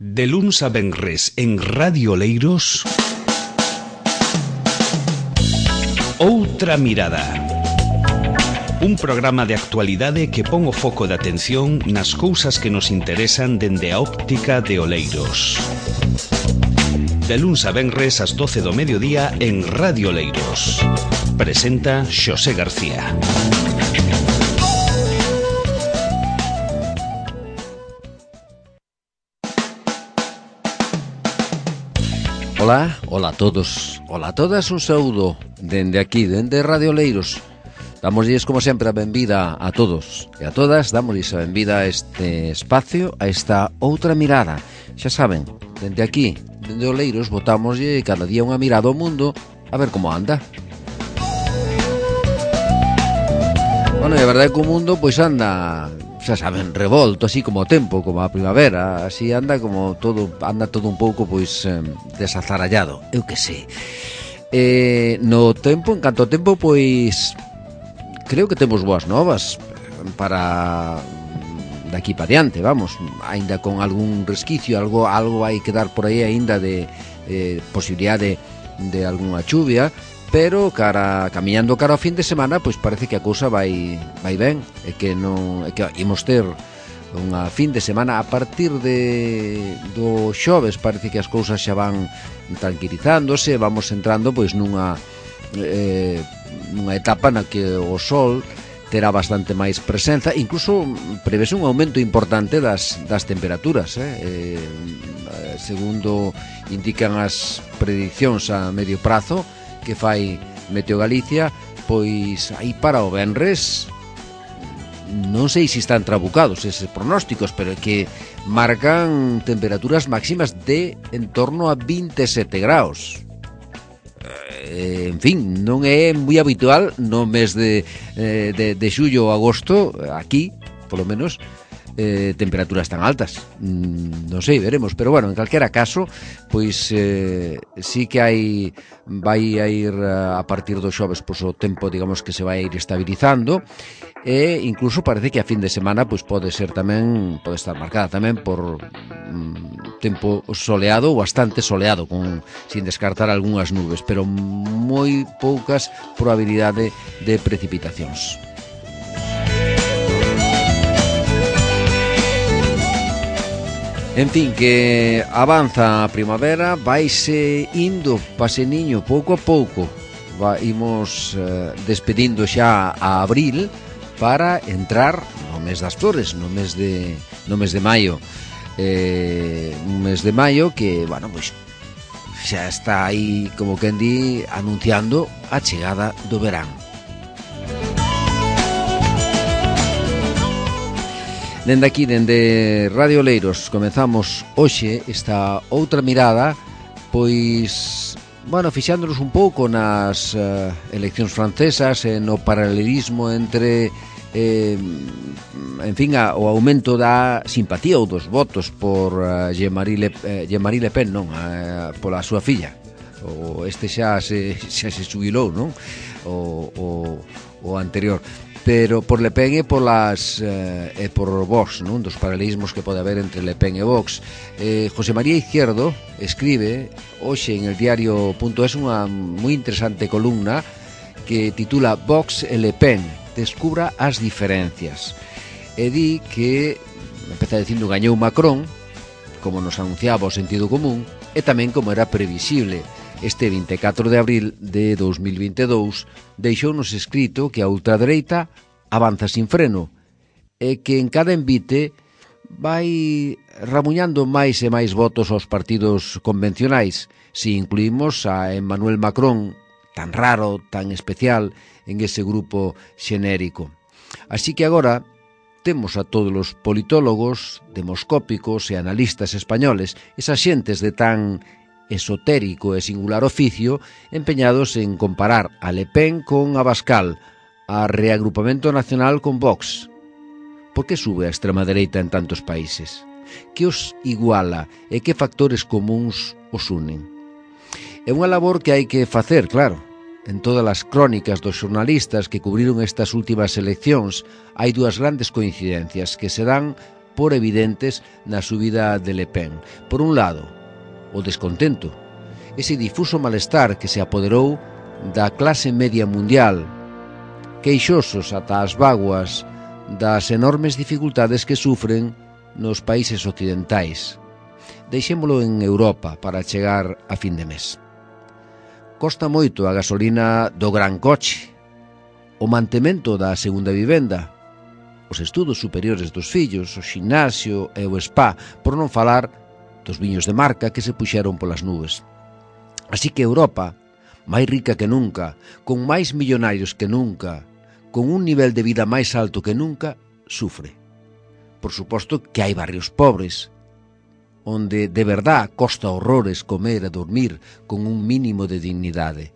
De luns a venres en Radio Oleiros, Outra Mirada. Un programa de actualidade que pon o foco de atención nas cousas que nos interesan dende a óptica de Oleiros. De luns a venres ás 12 do mediodía en Radio Oleiros. Presenta Xosé García. Ola a todos, ola a todas, un saúdo dende aquí, dende Radio Oleiros. Damosles, como sempre, a benvida a todos e a todas. Damosles a benvida a este espacio, a esta outra mirada. Xa saben, dende aquí, dende Oleiros, botámoslle cada día unha mirada ao mundo a ver como anda. Bueno, e a verdade é que o mundo pois anda, xa saben, revolto, así como o tempo, como a primavera, así anda como todo, anda todo un pouco pois desazarallado, eu que sei. No tempo, en canto ao tempo, pois creo que temos boas novas para daqui para diante, vamos, aínda con algún resquicio, algo hai que dar por aí aínda de posibilidade de algunha chuvia, pero camiñando cara ao fin de semana, pois parece que a cousa vai ben, e que imos ter unha fin de semana a partir do xoves. Parece que as cousas xa van tranquilizándose, vamos entrando pois nunha etapa na que o sol terá bastante máis presenza, incluso prevese un aumento importante das temperaturas, segundo indican as predicións a medio prazo que fai Meteo Galicia, pois aí para o venres non sei se están trabucados eses pronósticos, pero é que marcan temperaturas máximas de en torno a 27 graus. En fin, non é moi habitual no mes de xullo ou agosto, aquí, polo menos, temperaturas tan altas. Non sei, veremos, pero bueno, en calquera caso, pois sí que vai a ir a partir do xoves, pois o tempo, digamos, que se vai ir estabilizando, e incluso parece que a fin de semana pois pode estar marcada tamén por tempo soleado ou bastante soleado, sin descartar algunhas nubes, pero moi poucas probabilidade de precipitacións. En fin, que avanza a primavera, vaise indo paseniño pouco a pouco. Imos despedindo xa a abril para entrar no mes das flores, no mes de maio. Un mes de maio que, bueno, pois xa está aí, como quen di, anunciando a chegada do verán. Dende aquí, dende Radio Oleiros, comezamos hoxe esta outra mirada, pois, bueno, fixándonos un pouco nas eleccións francesas e no paralelismo entre, en fin, o aumento da simpatía ou dos votos por Jean-Marie Le Pen, non, pola súa filla. Este xa se xubilou, non? O anterior. Pero por Le Pen e por Vox, non? Dos paralelismos que pode haber entre Le Pen e Vox. José María Izquierdo escribe hoxe en el diario.es unha moi interesante columna que titula Vox e Le Pen, descubra as diferencias, e di que empeza dicindo gañou Macron, como nos anunciaba o sentido común, e tamén como era previsible. Este 24 de abril de 2022 deixounos escrito que a ultradereita avanza sin freno e que en cada envite vai ramuñando máis e máis votos aos partidos convencionais, se incluímos a Emmanuel Macron, tan raro, tan especial, en ese grupo xenérico. Así que agora temos a todos os politólogos, demoscópicos e analistas españoles, esas xentes de tan esotérico e singular oficio, empeñados en comparar a Le Pen con Abascal, a Reagrupamento Nacional con Vox. Por que sube a extrema dereita en tantos países? Que os iguala e que factores comuns os unen? É unha labor que hai que facer, claro. En todas as crónicas dos xornalistas que cubriron estas últimas eleccións hai dúas grandes coincidencias que se dan por evidentes na subida de Le Pen. Por un lado, o descontento, ese difuso malestar que se apoderou da clase media mundial, queixosos ata as vaguas das enormes dificultades que sufren nos países occidentais. Deixémolo en Europa para chegar a fin de mes. Costa moito a gasolina do gran coche, o mantemento da segunda vivenda, os estudos superiores dos fillos, o ximnasio e o spa, por non falar dos viños de marca que se puxeron polas nubes. Así que Europa, máis rica que nunca, con máis millonarios que nunca, con un nivel de vida máis alto que nunca, sufre. Por suposto que hai barrios pobres, onde de verdad costa horrores comer e dormir con un mínimo de dignidade.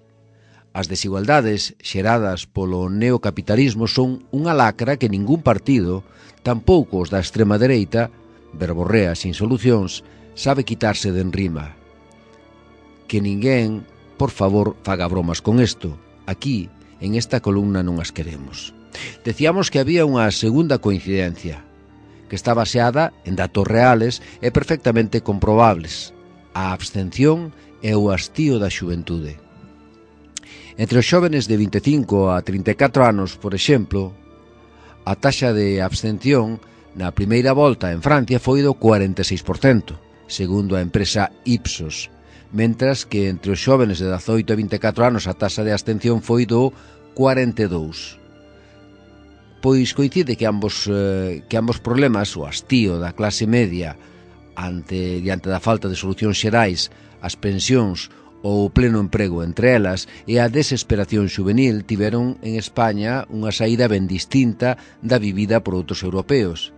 As desigualdades xeradas polo neocapitalismo son unha lacra que ningún partido, tampouco os da extrema dereita, verborrea sin solucións, sabe quitarse de enrima. Que ninguén, por favor, faga bromas con isto. Aquí, en esta columna, non as queremos. Decíamos que había unha segunda coincidencia, que está baseada en datos reales e perfectamente comprobables: a abstención e o hastío da xuventude. Entre os xóvenes de 25 a 34 anos, por exemplo, a taxa de abstención na primeira volta en Francia foi do 46%, segundo a empresa Ipsos, mentras que entre os xóvenes de 18 a 24 anos a taxa de abstención foi do 42%. Pois coincide que ambos problemas, o hastío da clase media diante da falta de solucións xerais, as pensións ou o pleno emprego entre elas e a desesperación xuvenil, tiveron en España unha saída ben distinta da vivida por outros europeos.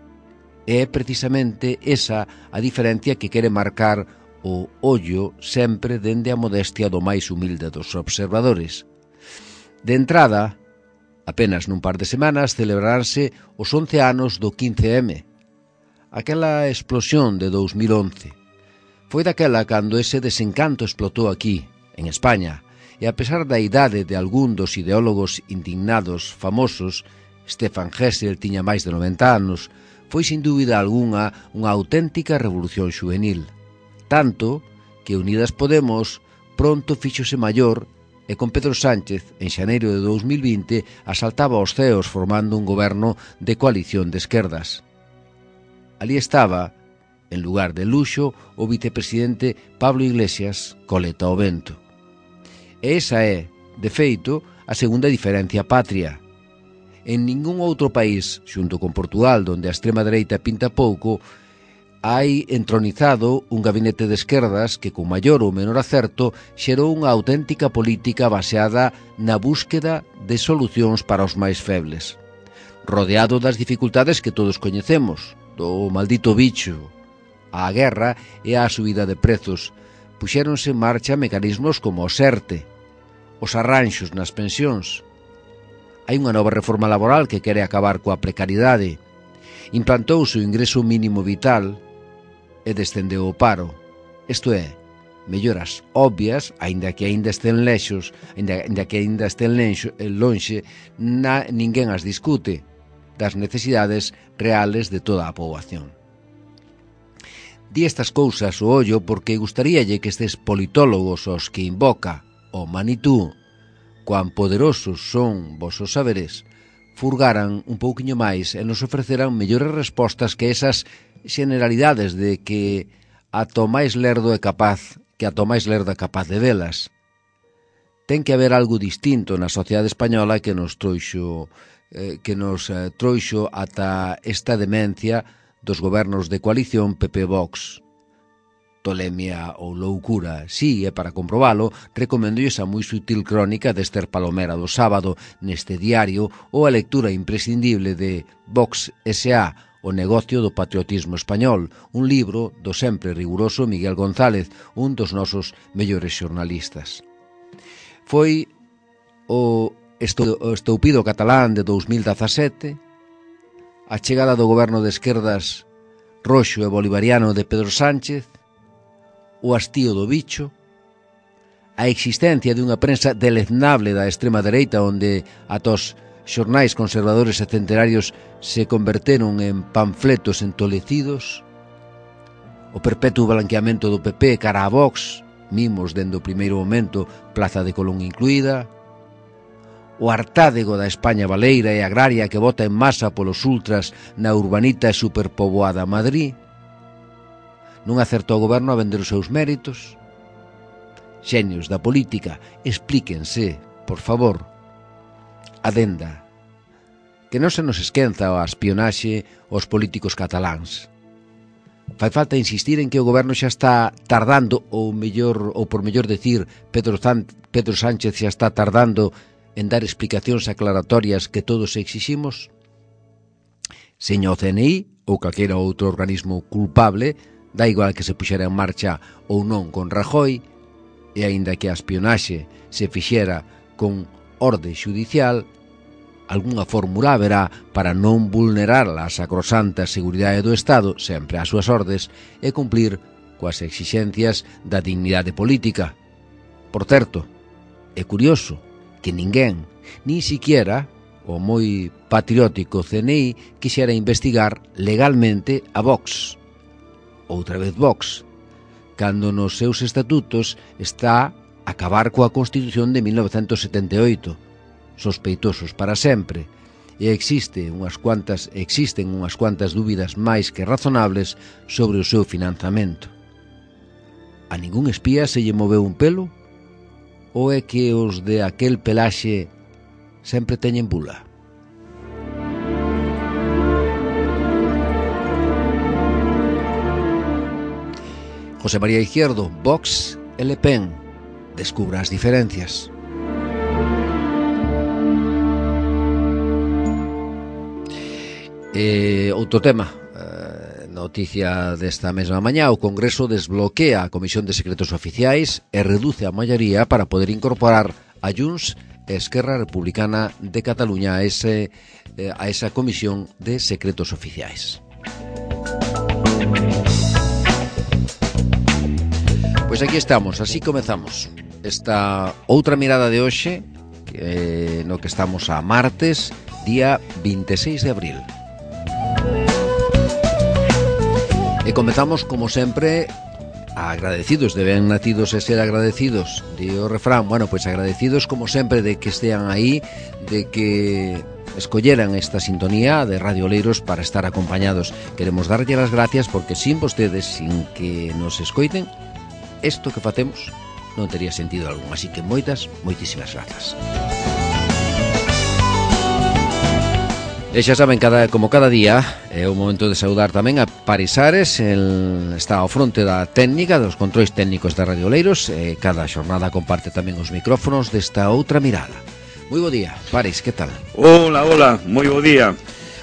É precisamente esa a diferencia que quere marcar o ollo sempre dende a modestia do máis humilde dos observadores. De entrada, apenas nun par de semanas celebraránse os 11 anos do 15M, aquela explosión de 2011. Foi daquela cando ese desencanto explotou aquí, en España, e a pesar da idade de algún dos ideólogos indignados famosos, Stefan Hessel tiña máis de 90 anos, foi sin dúbida algunha unha auténtica revolución xuvenil. Tanto que Unidas Podemos pronto fíxose maior e con Pedro Sánchez, en xaneiro de 2020, asaltaba os ceos formando un goberno de coalición de esquerdas. Ali estaba, en lugar de Luxo, o vicepresidente Pablo Iglesias, coleta ao vento. E esa é, de feito, a segunda diferencia patria. En ningún outro país, xunto con Portugal, donde a extrema dereita pinta pouco, hai entronizado un gabinete de esquerdas que, con maior ou menor acerto, xerou unha auténtica política baseada na búsqueda de solucións para os máis febles. Rodeado das dificultades que todos coñecemos, do maldito bicho, a guerra e a subida de prezos, puxéronse en marcha mecanismos como o SERTE, os arranxos nas pensións. Hai unha nova reforma laboral que quere acabar coa precariedade. Implantouse o ingreso mínimo vital e descendeu o paro. Isto é, melloras obvias, aínda que aínda estén lonxe, ninguén as discute, das necesidades reales de toda a poboación. Di estas cousas o ollo porque gustaríalle que estes politólogos aos que invoca o Manitú, cuán poderosos son vosos saberes, furgaran un pouquiño máis e nos ofreceran mellores respostas que esas generalidades de que ata o máis lerdo é capaz de velas. Ten que haber algo distinto na sociedade española que nos trouxo ata esta demencia dos gobernos de coalición PP-Vox. Tolemia ou loucura, si, e para comprobalo, recoméndolles a moi sutil crónica de Esther Palomera do sábado neste diario ou a lectura imprescindible de Vox S.A., O negocio do patriotismo español, un libro do sempre riguroso Miguel González, un dos nosos mellores xornalistas. Foi o estoupido catalán de 2017, a chegada do goberno de esquerdas roxo e bolivariano de Pedro Sánchez, o hastío do bicho, a existencia dunha prensa deleznable da extrema dereita onde ata os xornais conservadores e centenarios se converteron en panfletos entolecidos, o perpetuo blanqueamento do PP cara a Vox, mimos dende o primeiro momento, Plaza de Colón incluída, o hartádego da España baleira e agraria que vota en masa polos ultras na urbanita e superpoboada Madrid, non acertou o goberno a vender os seus méritos. Xenios da política, explíquense, por favor. Adenda, que non se nos esquenza a espionaxe aos políticos cataláns. Fai falta insistir en que o goberno xa está tardando, ou por mellor decir, Pedro Sánchez xa está tardando en dar explicacións aclaratorias que todos exiximos? Señor CNI ou calquera outro organismo culpable, dá igual que se puxera en marcha ou non con Rajoy, e aínda que a espionaxe se fixera con orde xudicial, algunha fórmula haberá para non vulnerar a sacrosanta seguridade do Estado, sempre ás súas ordes, e cumplir coas exixencias da dignidade política. Por certo, é curioso que ninguén, nin siquiera o moi patriótico CNI, quixera investigar legalmente a Vox. Outra vez Vox, cando nos seus estatutos está acabar coa Constitución de 1978, sospeitosos para sempre, e existen unhas cuantas dúbidas máis que razonables sobre o seu financiamento. A ningún espía se lle moveu un pelo? Ou é que os de aquel pelaxe sempre teñen bula? José María Izquierdo, Vox e Le Pen. Descubra as diferencias. Outro tema, noticia desta mesma mañá, o Congreso desbloquea a Comisión de Secretos Oficiais e reduce a maioría para poder incorporar a Junts e Esquerra Republicana de Cataluña a esa Comisión de Secretos Oficiais. Pois aquí estamos, así comezamos esta outra mirada de hoxe, no que estamos a martes, día 26 de abril. E comezamos, como sempre, agradecidos, de ben nacidos e ser agradecidos. Di o refrán, bueno, pois agradecidos como sempre de que estean aí, de que escolleran esta sintonía de Radio Oleiros para estar acompañados. Queremos darlle as gracias porque sin vostedes, sin que nos escoiten, isto que facemos non tería sentido algún. Así que moitísimas grazas. E xa saben, como cada día, é o momento de saudar tamén a Parisares, está ao fronte da técnica, dos controis técnicos da Radio Oleiros, e cada xornada comparte tamén os micrófonos desta outra mirada. Moi bo día, Paris, que tal? Hola, moi bo día.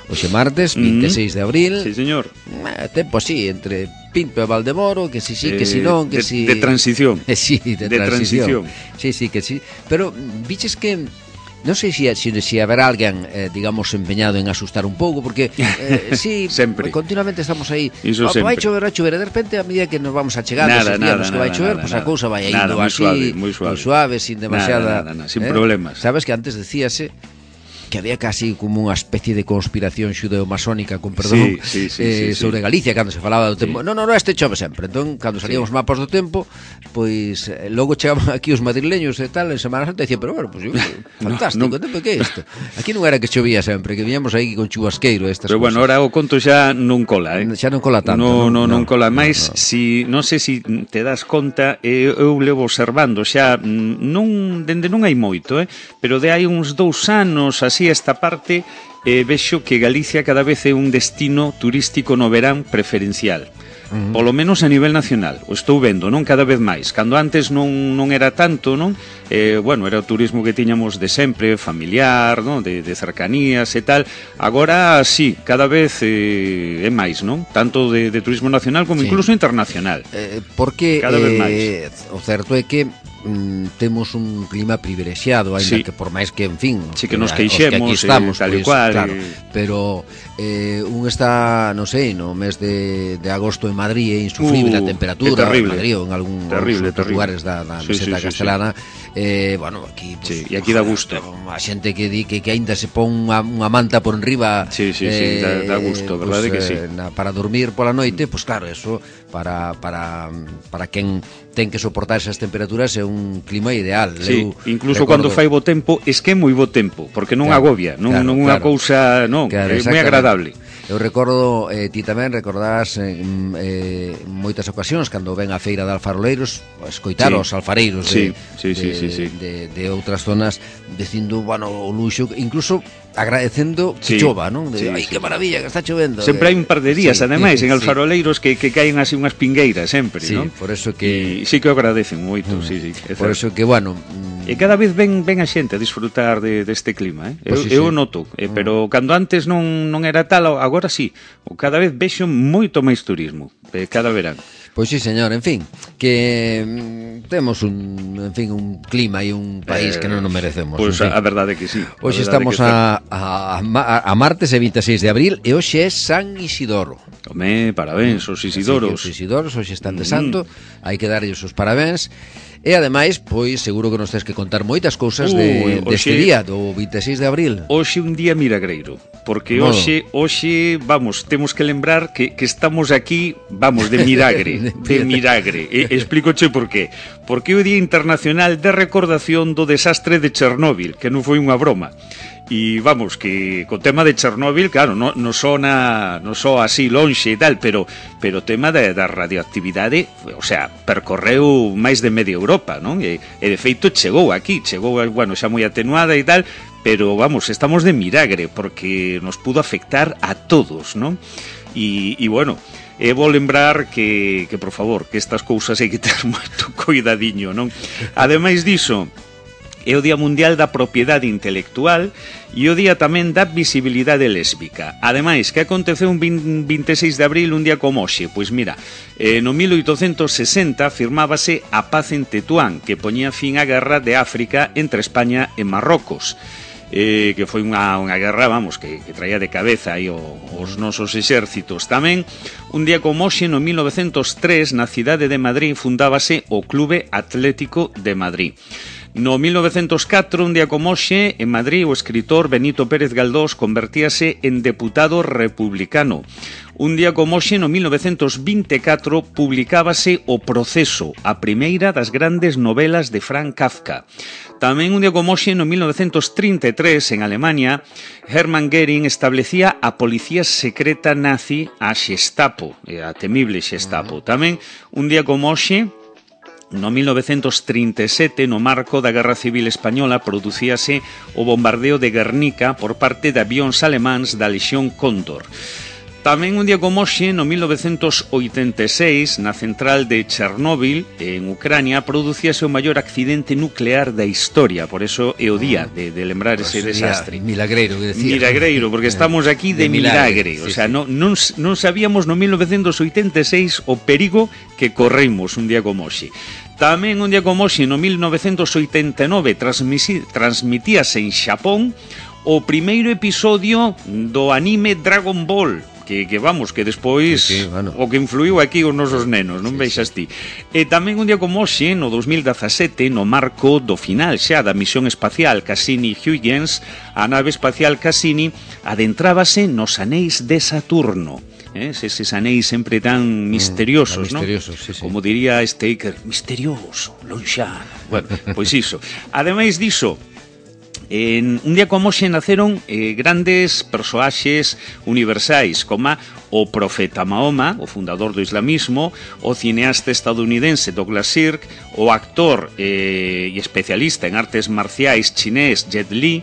Hoxe martes, 26 de abril. Sí, señor. Tempo así, entre Pinto e Valdemoro, que si sí, que si non, que si... De transición. Sí, de transición. Sí, que sí. Pero viches que... Non sei se haberá alguén, digamos, empeñado en asustar un pouco, porque sí, sempre. Continuamente estamos aí. Vai chover, e de repente, a medida que nos vamos achegando, días que vai chover, pois a cousa vai indo así, moi suave, sin demasiada... Sin problemas. Sabes que antes decíase que había casi como unha especie de conspiración xudeo-masónica, con perdón, sobre Galicia, cando se falaba do tempo. Non, este chove sempre. Entón, cando salían os mapas do tempo, pois logo chegaban aquí os madrileños e tal, en Semana Santa, e dicían, pero bueno, pois fantástico, tempo, que é isto? Aquí non era que chovía sempre, que viñamos aí con chubasqueiro estas pero cosas. Bueno, ahora o conto xa non cola, Xa non cola tanto. Non cola máis, non sei se te das conta, eu levo observando xa, dende non hai moito, pero de hai uns 2 anos, así esta parte, vexo que Galicia cada vez é un destino turístico no verán preferencial. Polo menos a nivel nacional. O estou vendo, non cada vez máis. Cando antes non era tanto, non? Bueno, era o turismo que tiñamos de sempre, familiar, non? De cercanías e tal. Agora, sí, cada vez é máis, non? Tanto de turismo nacional como incluso internacional. Porque cada vez máis. O certo é que temos un clima privilexiado, ainda que por máis que, en fin, sí, que nos queixemos, que aquí estamos, tal e cual, claro, pero un está, non sei, no mes de agosto en Madrid, é insufrible a temperatura, en Madrid ou en algún lugares da meseta castelana. Bueno, aquí pues, e aquí dá gusto. A xente que di que aínda se pon unha manta por enriba, dá gusto, verdade que sí. Para dormir pola noite, pues claro, eso para quen ten que soportar esas temperaturas é un clima ideal. Sí, incluso cando fai bo tempo, es que é moi bo tempo, porque non agobia, non unha cousa, non, é moi agradable. Eu recordo, ti tamén recordás moitas ocasións cando ven a feira de alfaroleiros, escoitar os alfareiros de outras zonas dicindo, bueno, o luxo, incluso agradecendo que chova, non? Ai, que maravilla que está chovendo. Sempre hai un par de días, ademais, en alfaroleiros que caen así unhas pingueiras sempre, non? Por eso que... Sí que o agradecen moito, Por eso que, bueno... E cada vez ven a xente a disfrutar deste clima, eu noto, pero cando antes non era tal, agora sí, cada vez vexo moito máis turismo, cada verán. Pois sí, señor, en fin, que temos un clima e un país que non nos merecemos. Pois a verdade que sí. Hoxe estamos a martes e 26 de abril e hoxe é San Isidoro. Home, parabéns, os Isidoros. Os Isidoros hoxe están de santo, hai que darlles os parabéns. E ademais, pois, seguro que nos tens que contar moitas cousas deste día, do 26 de abril. Hoxe un día milagreiro, porque hoxe, vamos, temos que lembrar que estamos aquí, vamos, de milagre, de milagre. Explícoche por qué. Porque é o Día Internacional de Recordación do Desastre de Chernóbil, que non foi unha broma. E vamos, que co tema de Chernóbil, claro, non só así lonxe e tal, pero o tema da radioactividade, o sea, percorreu máis de media Europa, non? E de feito chegou aquí, bueno, xa moi atenuada e tal, pero vamos, estamos de milagre, porque nos pudo afectar a todos, non? E bueno, vou lembrar que por favor, que estas cousas hai que ter moito cuidadiño, non? Ademais diso, é o Día Mundial da Propiedade Intelectual e o Día tamén da Visibilidade Lésbica. Ademais, que aconteceu un 26 de abril, un día como hoxe? Pois mira, no 1860 firmábase a Paz en Tetuán, que poñía fin á guerra de África entre España e Marrocos. Que foi unha guerra, vamos, que traía de cabeza aí os nosos exércitos. Tamén, un día como hoxe, no 1903, na cidade de Madrid, fundábase o Clube Atlético de Madrid. No 1904, un día como hoxe, en Madrid, o escritor Benito Pérez Galdós convertíase en deputado republicano. Un día como hoxe, no 1924, publicábase O Proceso, a primeira das grandes novelas de Franz Kafka. Tamén un día como hoxe, no 1933, en Alemania, Hermann Göring establecía a policía secreta nazi, a Gestapo, a temible Gestapo. Tamén un día como hoxe, no 1937, no marco da Guerra Civil Española, producíase o bombardeo de Guernica por parte de avións alemáns da Lexión Cóndor. Tamén un día como hoxe, no 1986, na central de Chernóbil, en Ucrania, producíase o maior accidente nuclear da historia. Por eso é o día de lembrar ese desastre. Milagreiro, que decía. Milagreiro, porque estamos aquí de milagre. O sea, non sabíamos no 1986 o perigo que corremos un día como hoxe. Tamén un día como hoxe, no 1989, transmitíase en Xapón o primeiro episodio do anime Dragon Ball, que vamos, que despois o que influiu aquí os nosos nenos, non veixas ti. E tamén un día como hoxe, no 2017, no marco do final xa da misión espacial Cassini-Huygens, a nave espacial Cassini adentrábase nos anéis de Saturno. Eses anéis sempre tan misteriosos, non? Como diría Staker, misterioso, lonxano. Bueno, pois iso. Ademais diso, en un día como hoxe naceron grandes persoaxes universais, como o profeta Mahoma, o fundador do islamismo, o cineasta estadounidense Douglas Sirk, o actor e especialista en artes marciais chinés Jet Li,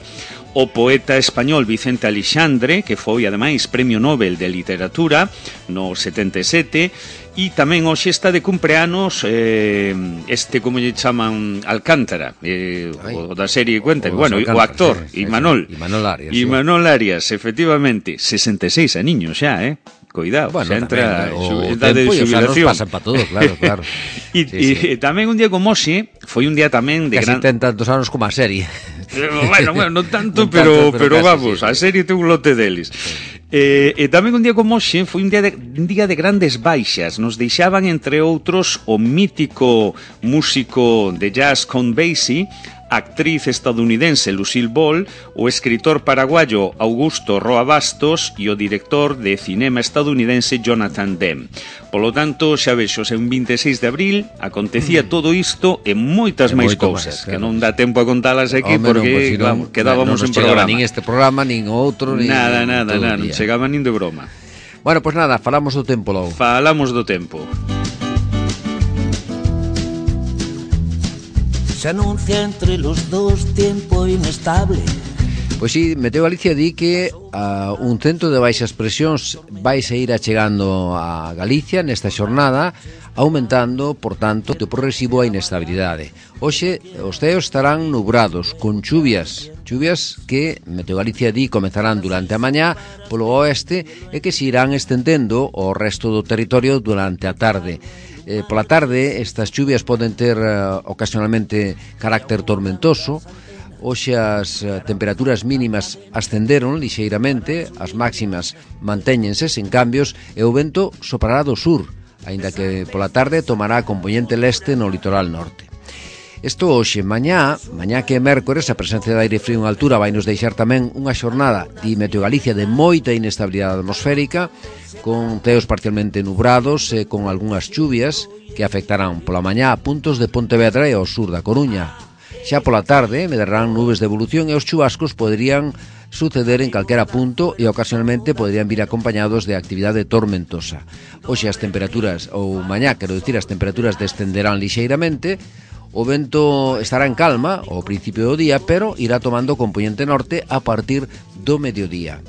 o poeta español Vicente Aleixandre, que foi, ademais, Premio Nobel de Literatura no 77, e tamén hoxe está de cumpleanos como lle chaman, Alcántara, o da serie Cuenta, bueno, o actor, Imanol Arias, efectivamente, 66 aniños xa, cuidado, bueno, xa entra tamén, idade de xubilación. Nos pasan para todo, claro. E tamén un día como hoxe, foi un día tamén de casi ten tantos anos como a serie. Bueno, non tanto, non pero casi, vamos, sí. a serie ten un lote deles. E tamén un día como hoxe foi un día de grandes baixas. Nos deixaban, entre outros, o mítico músico de jazz Count Basie, actriz estadounidense Lucille Ball, o escritor paraguayo Augusto Roa Bastos e o director de cinema estadounidense Jonathan Demme. Polo tanto, xa vexo, en 26 de abril acontecía todo isto e moitas máis cousas, claro, que non dá tempo a contalas aquí porque non, quedábamos en programa. Nin este programa, nin outro, nin Nada, non chegaba nin de broma. Bueno, pois nada, falamos do tempo logo. Falamos do tempo. Se anuncia entre los dos tiempo inestable. Pois si, Meteo Galicia di que un centro de baixas presións vai seguir achegando a Galicia nesta xornada, aumentando, por tanto, o progresivo a inestabilidade. Hoxe os ceos estarán nubrados, con chuvias que Meteo Galicia di comezarán durante a mañá polo oeste e que se irán estendendo ao resto do territorio durante a tarde. Pola tarde estas chuvias poden ter ocasionalmente carácter tormentoso. Hoxe as temperaturas mínimas ascenderon lixeiramente, as máximas mantéñense sen cambios e o vento soprará do sur, aínda que pola tarde tomará componente leste no litoral norte. Isto hoxe, mañá que é mércores, a presencia de aire frío en altura vai nos deixar tamén unha xornada de Meteo Galicia de moita inestabilidade atmosférica, con ceos parcialmente nubrados e con algunhas chuvias que afectarán pola mañá a puntos de Pontevedra e ao sur da Coruña. Xa pola tarde medrarán nubes de evolución e os chubascos poderían suceder en calquera punto e ocasionalmente poderían vir acompañados de actividade tormentosa. Hoxe as temperaturas, ou mañá, quero dicir, as temperaturas descenderán lixeiramente. O vento estará en calma ao principio do día, pero irá tomando componente norte a partir do mediodía.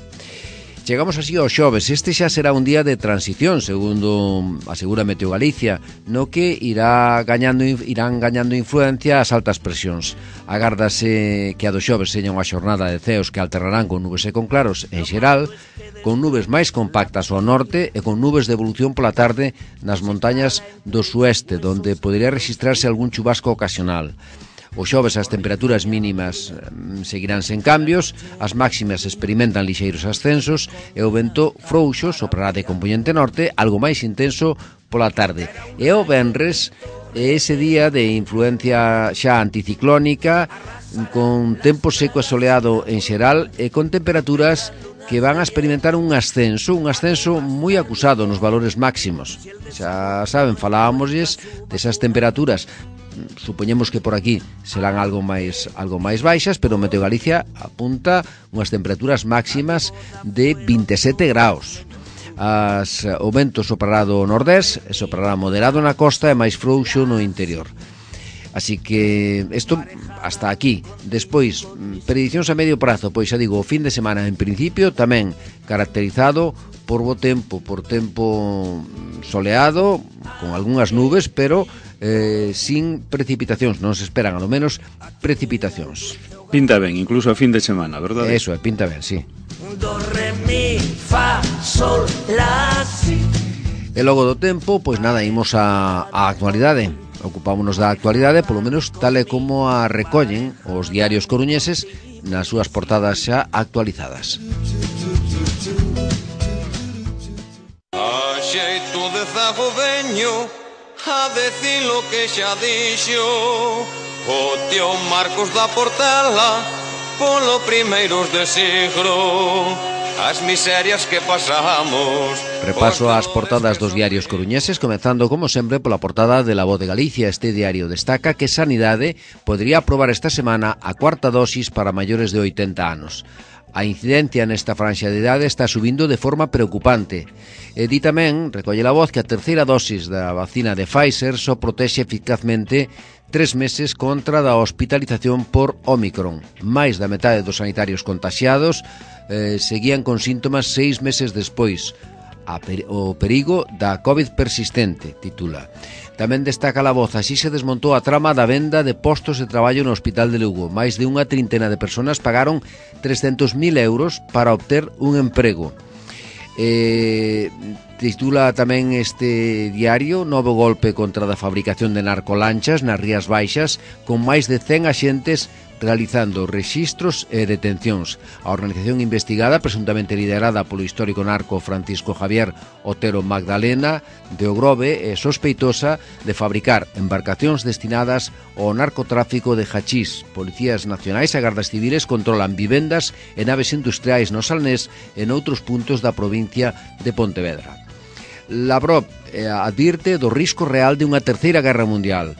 Chegamos así ao xoves. Este xa será un día de transición, segundo asegura Meteo Galicia, no que irán gañando influencia as altas presións. Agárdase que a do xoves seña unha xornada de ceos que alternarán con nubes e con claros en xeral, con nubes máis compactas ao norte e con nubes de evolución pola tarde nas montañas do sueste, donde podería registrarse algún chubasco ocasional. O xoves as temperaturas mínimas seguirán sen cambios, as máximas experimentan lixeiros ascensos e o vento frouxo soprará de componente norte, algo máis intenso pola tarde. E o venres é ese día de influencia xa anticiclónica, con tempo seco e soleado en xeral e con temperaturas que van a experimentar un ascenso moi acusado nos valores máximos. Xa saben, falábamosles desas temperaturas. Supoñemos que por aquí serán algo máis baixas, pero Meteo Galicia apunta unhas temperaturas máximas de 27 graus. O vento soprará do nordés, soprará moderado na costa e máis frouxo no interior. Así que isto hasta aquí. Despois, predicións a medio prazo, pois xa digo, o fin de semana en principio tamén caracterizado por bo tempo, por tempo soleado, con algunhas nubes, pero sin precipitacións, non se esperan, ao menos, precipitacións. Pinta ben, incluso a fin de semana, verdade? Eso, pinta ben, sí. Do, re, mi, fa, sol, la, si. E logo do tempo, pois nada, imos a actualidade. Ocupámonos da actualidade, polo menos tal e como a recollen os diarios coruñeses nas súas portadas xa actualizadas. A xeito de zago veño a decir lo que xa dixo o tío Marcos da Portela polo primeiros de siglo, as miserias que pasamos. Repaso ás portadas dos diarios coruñeses, comezando como sempre pola portada de La Voz de Galicia. Este diario destaca que Sanidade podría aprobar esta semana a cuarta dosis para maiores de 80 anos. A incidencia nesta franxa de idade está subindo de forma preocupante. E di tamén, recolle La Voz, que a terceira dosis da vacina de Pfizer só protexe eficazmente 3 meses contra da hospitalización por Omicron. Mais da metade dos sanitarios contaxiados seguían con síntomas 6 meses despois. O perigo da COVID persistente, titula. Tamén destaca La Voz, así se desmontou a trama da venda de postos de traballo no Hospital de Lugo. Mais de unha trintena de persoas pagaron 300.000 euros para obter un emprego. Titula tamén este diario: novo golpe contra a fabricación de narcolanchas nas Rías Baixas, con máis de 100 axentes realizando rexistros e detencións. A organización investigada, presuntamente liderada polo histórico narco Francisco Javier Otero Magdalena de Ogrove, é sospeitosa de fabricar embarcacións destinadas ao narcotráfico de hachís. Policías nacionais e gardas civiles controlan vivendas e naves industriais no Salnés e noutros puntos da provincia de Pontevedra. Lavrov advirte do risco real de unha terceira guerra mundial.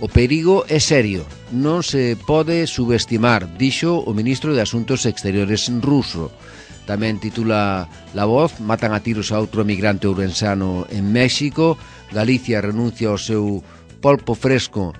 O perigo é serio, non se pode subestimar, dixo o ministro de Asuntos Exteriores ruso. Tamén titula La Voz: matan a tiros a outro emigrante ourensano en México. Galicia renuncia ao seu polvo fresco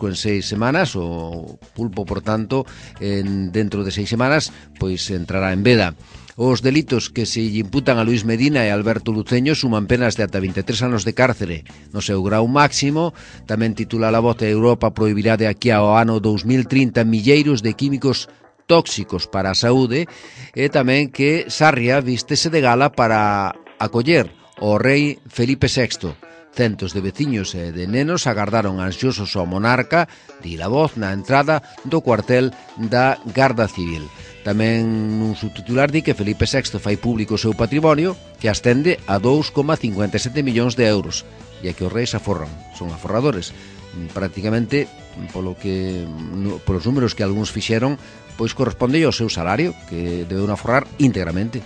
en 6 semanas. O pulpo, por tanto, dentro de 6 semanas, pois entrará en veda. Os delitos que se lle imputan a Luís Medina e Alberto Luceño suman penas de ata 23 anos de cárcere no seu grau máximo. Tamén titula La Voz: Europa prohibirá de aquí ao ano 2030 milleiros de químicos tóxicos para a saúde. E tamén que Sarria vístese de gala para acoller o rei Felipe VI. Centos de veciños e de nenos agardaron ansiosos ao monarca, di La Voz, na entrada do cuartel da Garda Civil. Tamén nun subtitular di que Felipe VI fai público o seu patrimonio, que ascende a 2,57 millóns de euros, e que os reis aforran, son aforradores. Prácticamente, polos números que algúns fixeron, pois corresponde ao seu salario, que debeu aforrar íntegramente.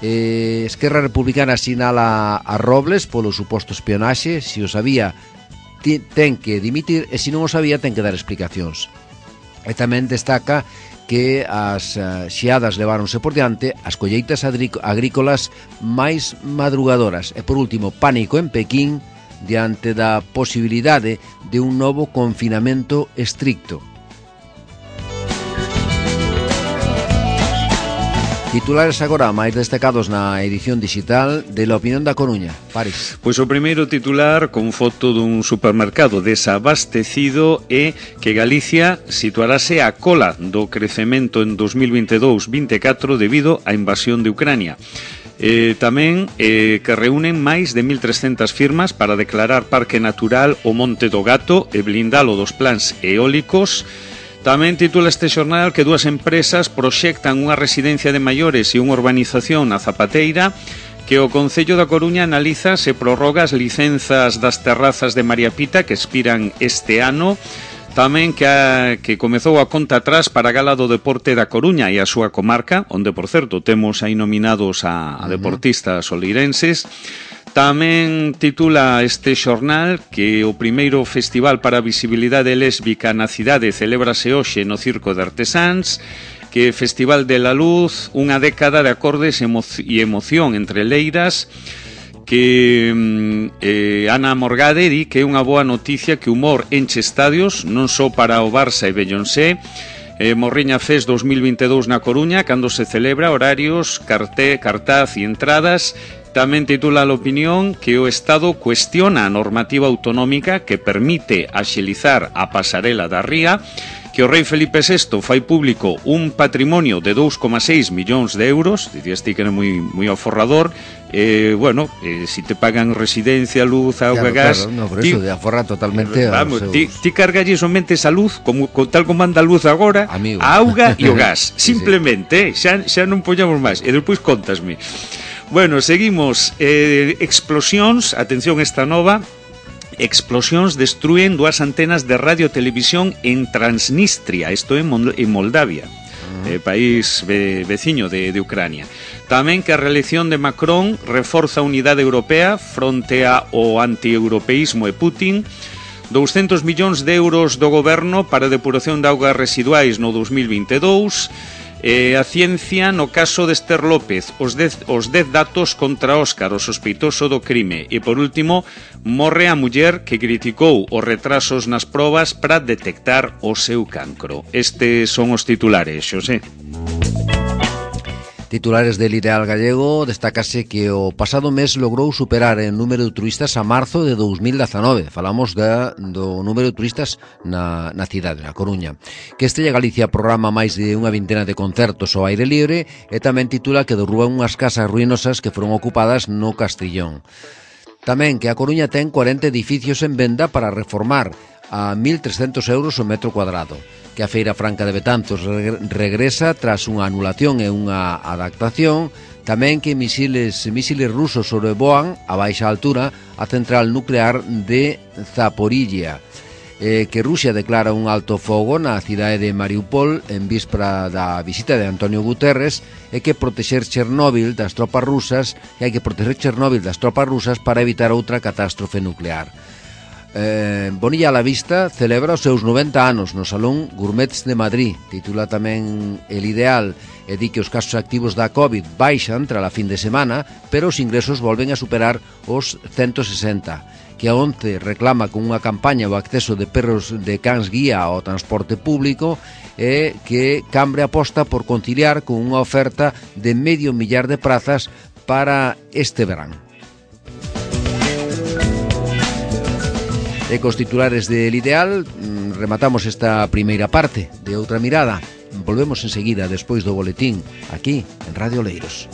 Esquerra Republicana sinala a Robles polo suposto espionaxe. Se o sabía, ten que dimitir, e se non o sabía, ten que dar explicacións. E tamén destaca que as xeadas leváronse por diante as colleitas agrícolas máis madrugadoras. E por último, pánico en Pequín diante da posibilidade de un novo confinamento estricto. Titulares agora máis destacados na edición digital de La Opinión da Coruña. Paris. Pois o primeiro titular, con foto dun supermercado desabastecido, é que Galicia situarase a cola do crecemento en 2022-24 debido á invasión de Ucrania. Tamén que reúnen máis de 1.300 firmas para declarar parque natural o Monte do Gato e blindalo dos plans eólicos. Tamén titula este xornal que dúas empresas proxectan unha residencia de maiores e unha urbanización na Zapateira, que o Concello da Coruña analiza se prorroga as licenzas das terrazas de María Pita que expiran este ano. Tamén que comezou a conta atrás para a Gala do Deporte da Coruña e a súa comarca, onde, por certo, temos aí nominados a deportistas oleirenses. Tamén titula este xornal que o primeiro festival para a visibilidade lésbica na cidade celébrase hoxe no Circo de Artesáns, que Festival de la Luz, unha década de acordes e emoción entre leiras, que Ana Morgade di que é unha boa noticia que o humor enche estadios, non só para o Barça e Beyoncé. Morriña Fest 2022 na Coruña, cando se celebra, horarios, cartaz e entradas. Tamén titula a Opinión que o Estado cuestiona a normativa autonómica que permite axilizar a pasarela da Ría, que o rei Felipe VI fai público un patrimonio de 2,6 millóns de euros, dicías ti que era moi aforrador. Si te pagan residencia, luz, auga, gas... Claro, no, por eso, de aforrar totalmente vamos, ti cargalles somente a luz, tal como anda a luz agora, amigo, a auga e o gas, sí, simplemente, xa non poñamos máis, e despois contasme. Bueno, seguimos. Explosións, atención esta nova. Explosións destruen dúas antenas de radio e televisión en Transnistria, isto é en Moldavia, país veciño de Ucrania. Tamén que a reelección de Macron reforza a unidade europea fronte ao antieuropeísmo e Putin. 200 millóns de euros do goberno para a depuración de augas residuais no 2022. A ciencia no caso de Esther López, os 10 datos contra Óscar, o sospeitoso do crime. E por último, morre a muller que criticou os retrasos nas probas para detectar o seu cancro. Estes son os titulares, Xosé. Titulares del Ideal Gallego, destácase que o pasado mes logrou superar en número de turistas a marzo de 2019. Falamos do número de turistas na cidade, na Coruña. Que Estella Galicia programa máis de unha vintena de concertos ao aire libre e tamén titula que derruban unhas casas ruinosas que foron ocupadas no Castrillón. Tamén que a Coruña ten 40 edificios en venda para reformar a 1.300 euros o metro cuadrado. Que a Feira Franca de Betanzos regresa tras unha anulación e unha adaptación. Tamén que misiles rusos sobrevoan a baixa altura a central nuclear de Zaporilla. Que Rusia declara un alto fogo na cidade de Mariupol en víspera da visita de Antonio Guterres e que protexer Chernóbil das tropas rusas para evitar outra catástrofe nuclear. Bonilla a la Vista celebra os seus 90 anos no Salón Gourmets de Madrid. Titula tamén El Ideal e di que os casos activos da COVID baixan tras a fin de semana, pero os ingresos volven a superar os 160. Que a ONCE reclama con unha campaña o acceso de perros de cans guía ao transporte público e que Cambre aposta por conciliar con unha oferta de 500.000 de prazas para este verán. E cos titulares del Ideal rematamos esta primeira parte de Outra Mirada. Volvemos enseguida despois do boletín aquí en Radio Oleiros.